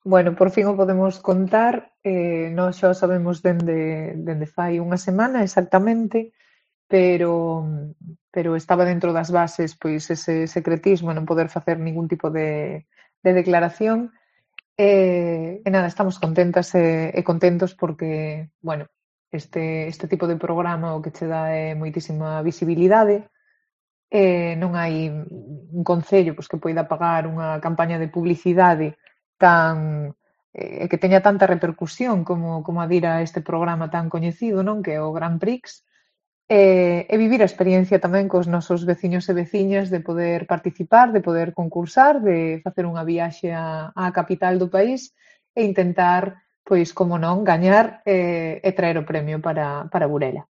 Bueno, por fin o podemos contar. Nós xa o sabemos dende fai unha semana exactamente, pero pero estaba dentro das bases pois ese secretismo, non poder facer ningún tipo de declaración. E nada, estamos contentas e contentos porque, bueno, este tipo de programa o que che dá é moitísima visibilidade. Non hai un concello pois, que poida pagar unha campaña de publicidade tan que teña tanta repercusión como a dir a este programa tan coñecido, non? Que é o Grand Prix, e vivir a experiencia tamén cos nosos veciños e veciñas de poder participar, de poder concursar, de facer unha viaxe á capital do país e intentar, pois, como non, gañar e traer o premio para Burela.